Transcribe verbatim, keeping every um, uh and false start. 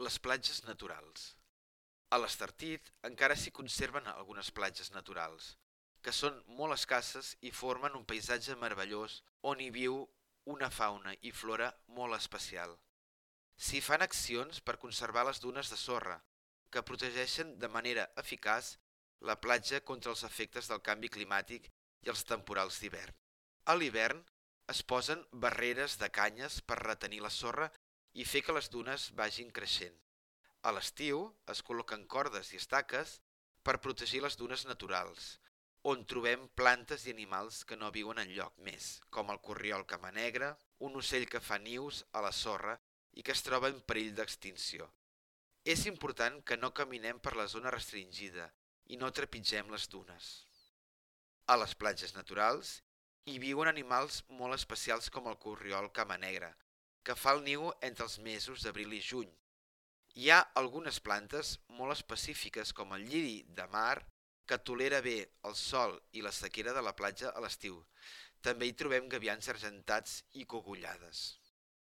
Les platges naturals. A l'Estartit encara s'hi conserven algunes platges naturals, que són molt escasses i formen un paisatge meravellós on hi viu una fauna i flora molt especial. S'hi fan accions per conservar les dunes de sorra, que protegeixen de manera eficaç la platja contra els efectes del canvi climàtic i els temporals d'hivern. A l'hivern es posen barreres de canyes per retenir la sorra i fer que les dunes vagin creixent. A l'estiu es col·loquen cordes i estaques per protegir les dunes naturals, on trobem plantes i animals que no viuen enlloc més, com el corriol camanegre, un ocell que fa nius a la sorra i que es troba en perill d'extinció. És important que no caminem per la zona restringida i no trepitgem les dunes. A les platges naturals hi viuen animals molt especials com el corriol camanegre, que fa el niu entre els mesos d'abril i juny. Hi ha algunes plantes molt específiques com el lliri de mar que tolera bé el sol i la sequera de la platja a l'estiu. També hi trobem gavians argentats i cogullades.